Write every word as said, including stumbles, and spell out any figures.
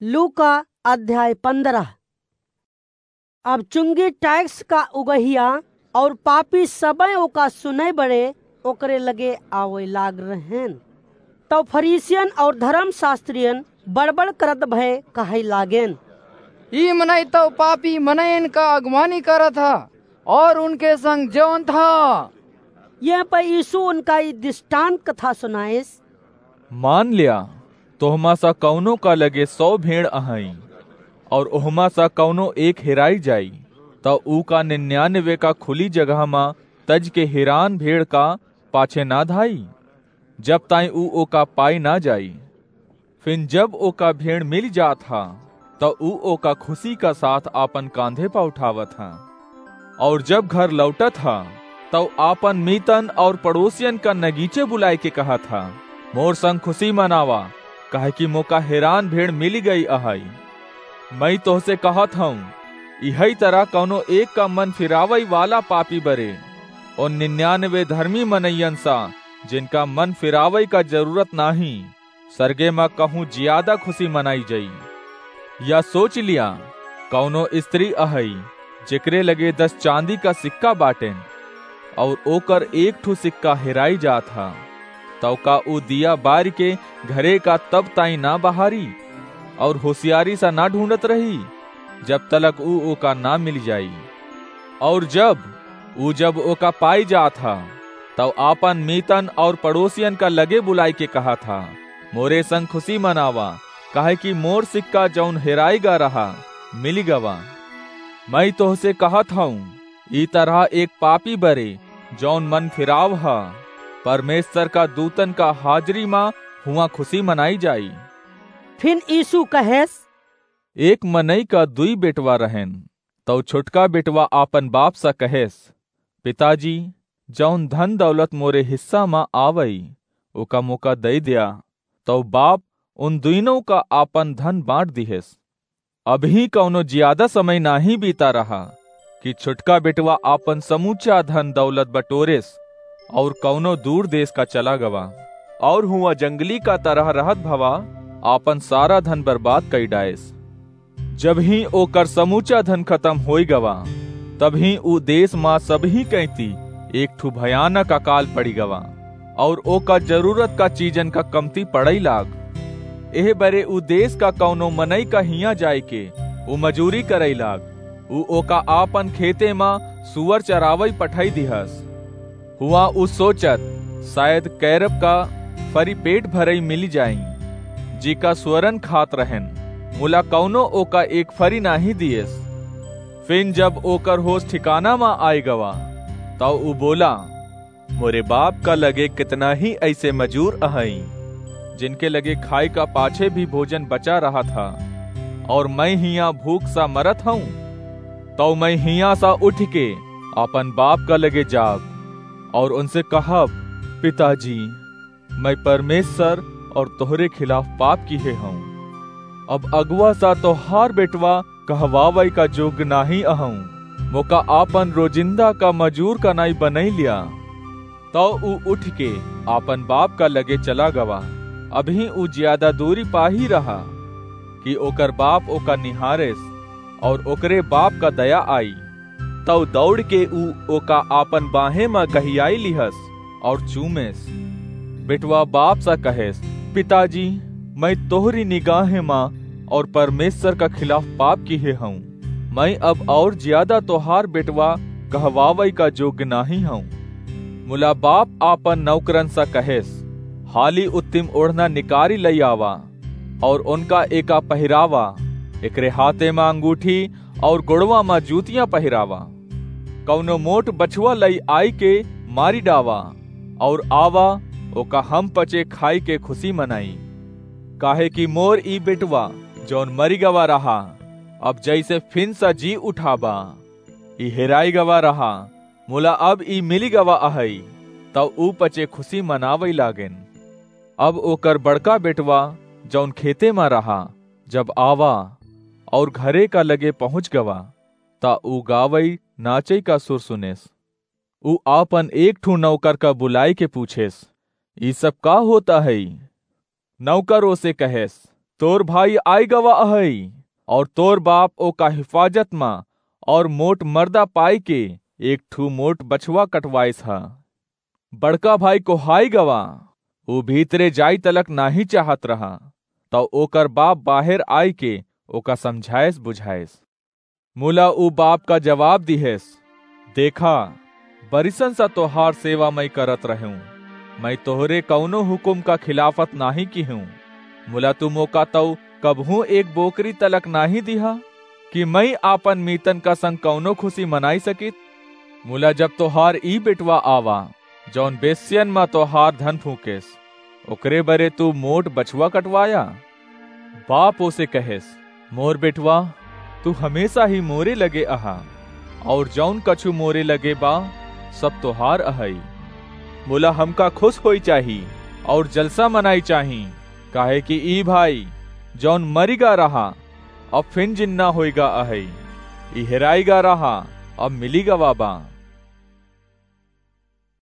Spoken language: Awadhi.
लूका अध्याय पन्द्रह। अब चुंगी टैक्स का उगहिया और पापी सबय ओका सुनय बड़े ओकरे लगे आवय लाग रहेन। तब फरीसियन और धर्मशास्त्रियन बड़बड़ करत भय कहय लागेन, "ई मनई तउ पापी मनयन का अगुवानी करत ह और उनके संग जेवंत ह।" यह पर यीशु उनका ई दृष्टांत कथा सुनाइस। मान ल्या, तोहमा सा कउनो का लगे सौ भेड़ अहई, और ओहमा सा कउनो एक हेराई जाई, त ऊ का निन्यानवे का खुली जगह मा तज के हेरान भेड़ का पाछे ना धाई, जब ताईं ऊ ओका पाई ना जाई? फिन जब ओका भेड़ मिल जात ह, त ऊ ओका खुशी का साथ आपन कांधे पा उठावत ह। और जब घर लौटत ह, त ऊ आपन मीतन और पड़ोसियन का नगीचे बुलाए के कहत ह, "मोर संग खुशी मनावा, काहे कि मोका हेरान भेड़ मिली गई अहई।" मैं तोहसे कहत हूँ, इहई तरह कउनो एक का मन फिरावई वाला पापी बरे, और निन्यानवे धर्मी मनइयन सा, जिनका मन फिरावई का जरूरत नाही, सरगे मा कहूँ जियादा खुशी मनाई जाई। या सोच लिया, कउनो स्त्री अहई, जेकरे लगे दस चांदी का सिक्का बाटेन, और ओकर एक ठू सिक्का हेराई जात ह, तउ का ऊ दिया बारि के घरे का तब ताईं ना बहारी, और होशियारी सा ना ढूंढत रही, जब तलक ऊ ओका ना मिल जाई? और जब ऊ, जब ओका पाई जात ह, तब आपन मीतन और पड़ोसियन का लगे बुलाई के कहत ह, "मोरे संग खुशी मनावा, काहे कि मोर सिक्का जौन हेराई गा रहा, मिली गवा।" मैं तोहसे कहत हूँ, ई तरह एक पापी बरे, जौन मन फिराव ह, परमेश्वर का दूतन का हाजिरी मा हुआ खुशी मनाई जाई। फिन यीशु कहेस, एक मनई का दुई बेटवा रहेन, तउ छोटका बेटवा आपन बाप सा कहेस, "पिताजी, जौन धन दौलत मोरे हिस्सा मा आवई, ओका मोका दई द्या।" तउ बाप उन दुइनों का आपन धन बांट दिहेस। अबहीं कउनो जियादा समय नाहीं बीता रहा कि छोटका बेटवा आपन समूचा धन दौलत बटोरेस और कउनो दूर देश का चला गवा, और हुआ जंगली का तरह रहत भवा आपन सारा धन बर्बाद कई डाएस। जबहीं ओकर समूचा धन खतम होई गवा, तबहीं ऊ देश मा सबहीं कैती एक ठू भयानक अकाल पड़ी गवा, और ओका जरूरत का चीजन का कमती पड़ई लाग। एह बरे ऊ देश का कउनो मनई का हियाँ जाए के ऊ मजूरी करई लाग। ऊ ओका आपन खेते मा सुअर चरावई पठई दिहस। हुआ ऊ सोचत, "शायद कैरब का फरी पेट भरई मिली जाई," जिका सुअरन खात रहेन, मुला कउनो ओका एक फरी नाहीं दिएस। फिन जब ओकर होश ठिकाना मा आए गवा, तब ऊ बोला, "मोरे बाप का लगे कितना ही ऐसे मजूर अहई, जिनके लगे खाए का पाछे भी भोजन बचा रहत ह, और मैं हियाँ भूख सा मरत हूँ। तौ मैं हियाँ सा उठ के आपन बाप का लगे जाब और उनसे कहब, 'पिताजी, मैं परमेश्वर और तोहरे खिलाफ पाप किहे हूँ। अब अगुआ सा तोहार बेटवा कहवावई का जोग्य नाहीं अहूँ। मोका आपन रोजिंदा का मजूर का नाई बनई लिया।'" तौ ऊ उठ के आपन बाप का लगे चला गवा। अबहीं ऊ ज्यादा दूरी पाही रहा कि ओकर बाप ओका निहारेस, और ओकरे बाप का दया आई। तौ दौड़ के ऊ ओका आपन बाहें मा गहियाई लिहस और चूमेस। बेटवा बाप सा कहेस, "पिताजी, मैं तोहरी निगाहें मा और परमेश्वर का खिलाफ पाप किहे हूँ। मैं अब और ज्यादा तोहार बेटवा कहवावई का जोग्य नाहीं हूँ।" मुला बाप आपन नौकरन सा कहेस, "हाली उत्तम ओढ़ना निकारी लई आवा और उनका एका पहिरावा, एकरे हाथे मा अंगूठी और गोड़वा मा जूतियां पहिरावा। कौनो मोट बछवा लई आई के मारी डावा और आवा, ओका हम पचे खाई के खुशी मनाई। काहे कि मोर ई बेटवा जौन मरी गवा रहा, अब जैसे फिन सा जी उठाबा, ई हेराई गवा रहा, मुला अब ई मिली गवा अहई।" तब ऊ पचे खुशी मनावई लागेन। अब ओकर बड़का बेटवा जौन खेते मा रहा, जब आवा और घरे का लगे पहुँच गवा, त ऊ गावई नाचई का सुर सुनेस। ऊ आपन एक ठू नौकर का बुलाई के पूछेस, "ई सब का होता है?" नौकर ओसे कहेस, तोर भाई आइ गवा अहइ, और तोर बाप ओका हिफाजत मा और मोट मर्दा पाइ के एक ठू मोट बछवा कटवाइस ह। बड़का भाई कोहाइ गवा, ऊ भीतरे जाइ तलक नाहीं चाहत रहा, तउ ओकर बाप बाहेर आइके ओका समझाइस बुझाइस। मुला ऊ बाप का जवाब दिहेस, "देखा, बरिसन सा तोहार सेवा मइँ करत रहेंव, मइँ तोहरे कउनो हुकुम का खिलाफत नाहीं किहेंव। मुला तू मोका तउ कबहूँ एक बोकरी तलक नाहीं दिहा, कि मइँ आपन मीतन का संग कउनो खुसी मनाइ सकित? मुला जब तोहार ई बेटवा आवा, जउन बेस्यन मा तोहार धन फूँकेस, ओकरे बरे तू मोट बछवा कटवाया?" बाप ओसे कहेस, "मोर बेटवा, तू हमेसा ही मोरे लगे अहा, और जउन कछु मोरे लगे बा, सब तोहार अहइ। मुला हमका खुस होइ चाही, और जलसा मनाइ चाही, काहे कि ई भाई, जउन मरिगा रहा, अब फिन जिन्ना होइगा अहइ, ई हेराइगा रहा, अब मिलिगवा बा।"